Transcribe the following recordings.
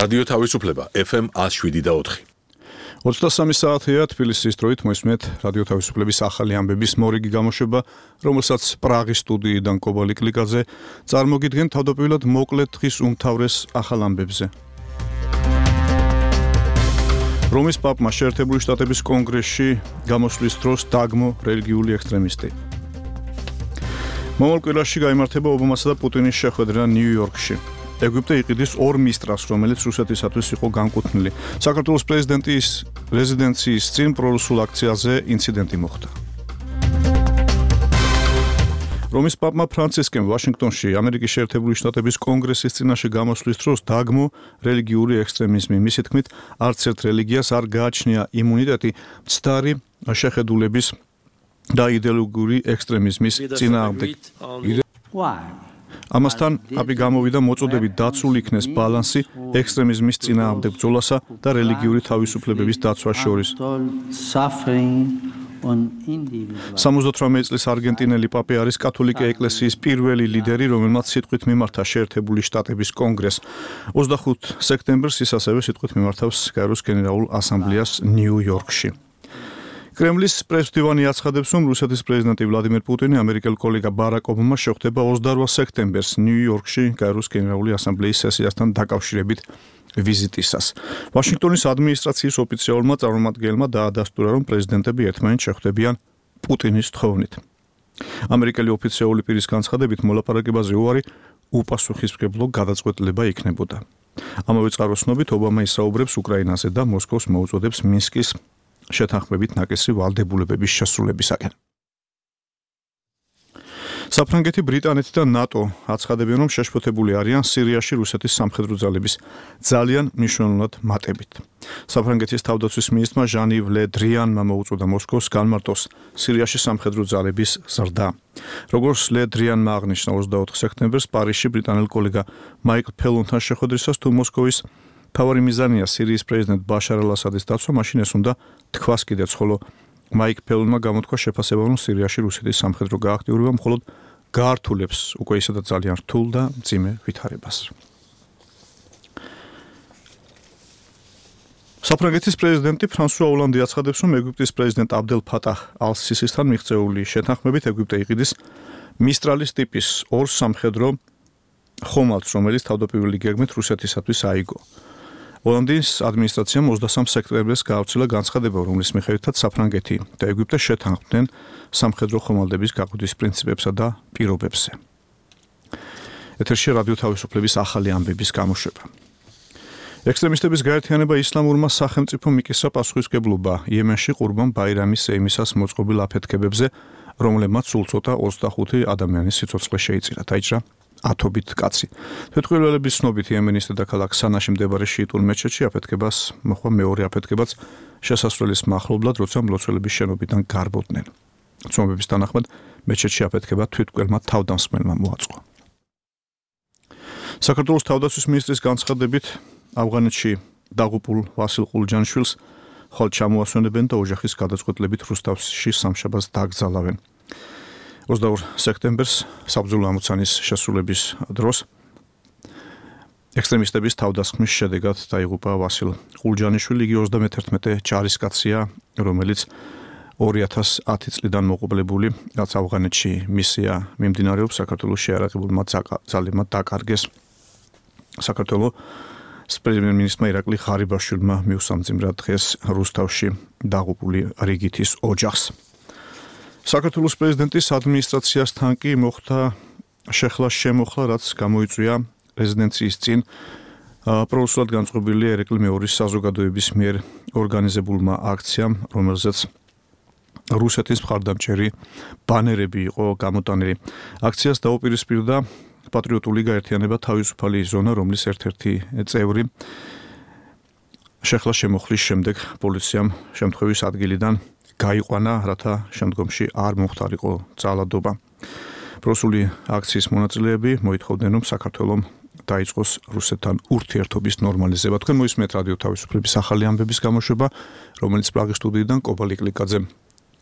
რადიო თავისუფლება FM 107.4. 23 საათია თბილისის დროით მოისმენთ რადიო თავისუფლების ახალი ამბების მორიგი გამოშვება, რომელსაც პრაღის სტუდიიდან კობალი კლიკაძე წარმოგიდგენ თავდაპირველად მოკლედ დღის უმთავრეს ახალ ამბებზე. რომის პაპმა შეერთებული შტატების კონგრესში გამოსვლის დროს დაგმო რელიგიული ექსტრემისტი. მომავალ კვირაში გაიმართება ობამასა და პუტინის შეხვედრა ნიუ-იორკში. ეგვიპტე იყიდის ორ მინისტრს, რომელიც რუსეთისათვის იყო განკუთვნილი. საქართველოს პრეზიდენტის რეზიდენციის წინ პრორუსულ აქციაზე ინციდენტი მოხდა. რომის პაპმა ფრანცისკემ ვაშინგტონში ამერიკის შეერთებული შტატების კონგრესის წინაშე გამოსვლის დროს დაგმო რელიგიური ექსტრემიზმი. მისი თქმით, არც ერთ რელიგიას არ გააჩნია იმუნიტეტი მცდარი შეხედულების და იდეოლოგიური ექსტრემიზმის წინააღმდეგ. ამასთან პაპი გამოვიდა მოწოდებით დაცულ იქნეს ბალანსი ექსტრემიზმის წინააღმდეგ ბრძოლასა და რელიგიური თავისუფლებების დაცვას შორის. 78 წლის არგენტინელი პაპი არის კათოლიკე ეკლესიის პირველი ლიდერი, რომელმაც სიტყვით მიმართა შეერთებული შტატების კონგრესს. 25 სექტემბერს ის ასევე სიტყვით მიმართავს კაიროს გენერალურ ასამბლეას ნიუ-იორკში. კრემლის პრესდივანი აცხადებს, რომ რუსეთის პრეზიდენტი ვლადიმერ პუტინი ამერიკელ კოლეგა ბარაკ ობამა შეხვდება 28 სექტემბერს ნიუ-იორკში კაიროს გენერალური ასამბლეის სესიასთან დაკავშირებით ვიზიტისას. ვაშინგტონის ადმინისტრაციის ოფიციალურმა წარმომადგენელმა დაადასტურა, რომ პრეზიდენტები ერთმანეთს შეხვდებიან პუტინის თხოვნით. ამერიკელი ოფიციალური პირის განცხადებით, მოლაპარაკებაზე უარი უპასუხისმგებლო გადაწყვეტილება იქნებოდა. ამავე წყაროსნობით ობამა ისაუბრებს უკრაინაზე და მოსკოვს მოუწოდებს მინსკის შეთანხმებით ნაკისი ვალდებულებების შესრულებისაკენ. საფრანგეთი, ბრიტანეთი და ნატო აცხადებენ, რომ შეშფოთებული არიან სირიაში რუსეთის სამხედრო ძალების ძალიან მნიშვნელოვნად მატებით. საფრანგეთის თავდაცვის მინისტრმა ჟან-იվ ლე დრიანმა მოუწოდა მოსკოვს განმარტოს სირიაში სამხედრო ძალების ზრდა. როგორც ლე დრიანმა აღნიშნა 24 სექტემბერს პარიზში ბრიტანელ კოლეგა მაიკლ ფელონთან შეხვედრისას, თუ მოსკოვის თავარი მიზანია სირიის პრეზიდენტ ბაშარ ალ-ასადის დაცვა, მაშინ ეს უნდა თქვას კიდეც, ხოლო მაიკ ფელონმა გამოთქვა შეფასება, რომ სირიაში რუსეთის სამხედრო გააქტიურება მხოლოდ გაართულებს უკვე ისედაც ძალიან რთულ და მძიმე ვითარებას. საფრანგეთის პრეზიდენტი ფრანსუა ოლანდი აცხადებს, რომ ეგვიპტის პრეზიდენტ აბდელ ფატაჰ ალ-სისისთან მიღწეული შეთანხმებით ეგვიპტე იყიდის მისტრალის ტიპის ორ სამხედრო ხომალდს, რომელიც თავდაპირველი გეგმით რუსეთისათვის აიგო. ოლანდის ადმინისტრაციამ 23 სექტემბერს გაავრცელა განცხადება, რომლის მიხედვითაც საფრანგეთი და ეგვიპტე შეთანხმდნენ სამხედრო ხომალდების გაყიდვის პრინციპებსა და პირობებზე. ეთერში რადიო თავისუფლების ახალი ამბების გამოშვება. ექსტრემისტების გაერთიანება ისლამურმა სახელმწიფომ მიკისრა პასუხისმგებლობა იემენში ყურბან ბაირამის სეიმისას მოწყობილ აფეთქებებზე, რომლებმაც სულ ცოტა 25 ადამიანის სიცოცხლე შეიწირა. დაიჭრა ათობით კაცი. თვითმკვლელების ცნობით იემენის დედაქალაქ სანაში მდებარე შიიტურ მეჩეთში აფეთქებას მოხდა მეორე აფეთქებაც შესასვლელის მახლობლად, როცა მლოცველების შენობიდან გარბოდნენ. ცნობების თანახმად მეჩეთში აფეთქება თვითმკვლელმა თავდამსხმელმა მოაწყო. საქართველოს თავდაცვის მინისტრის განცხადებით, ავღანეთში დაღუპულ ვასილ ყულჯანიშვილს ხვალ ჩამოასვენებენ და ოჯახის გადაწყვეტილებით რუსთავში სამშაბათს დაკრძალავენ. 22 სექტემბერს საბრძოლო ამოცანის შესრულების დროს ექსტრემისტების თავდასხმის შედეგად დაიღუპა ვასილ ყულჯანიშვილი. იგი 31 ჯარისკაცია, რომელიც 2010 წლიდან მოყოლებული, რაც ავღანეთში მისია მიმდინარეობს. საქართველოს შეარაღებულმა ძალებმა დაკარგეს საქართველოს პრემიერ-მინისტრმა ირაკლი ღარიბაშვილმა მიუსამძიმრა დღეს რუსთავში დაღუპული რიგითის ოჯახს. საქართველოს პრეზიდენტის ადმინისტრაციასთან კი მოხდა შემოხლა, რაც გამოიწვია რეზიდენციის წინ პრორუსულად განწყობილი ერეკლი მეორის საზოგადოების მიერ ორგანიზებულმა აქციამ, რომელზეც რუსეთის მხარდამჭერი ბანერები იყო გამოტანილი. აქციას დაუპირისპირდა პატრიოტული გაერთიანება თავისუფალი ზონა, რომლის ერთ-ერთი წევრი შემოხლის შემდეგ პოლიციამ შემთხვევის ადგილიდან გაიყვანა, რათა შემდგომში არ მომხდარიყო ძალადობა. პრორუსული აქციის მონაწილეები მოითხოვდნენ, რომ საქართველომ დაიწყოს რუსეთთან ურთიერთობის ნორმალიზება. თქვენ მოისმენთ რადიო თავისუფლების ახალი ამბების გამოშვება, რომელიც პრაღის სტუდიიდან კობალი კლიკაძე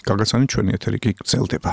გაგაცანით, ჩვენი ეთერი კი გრძელდება.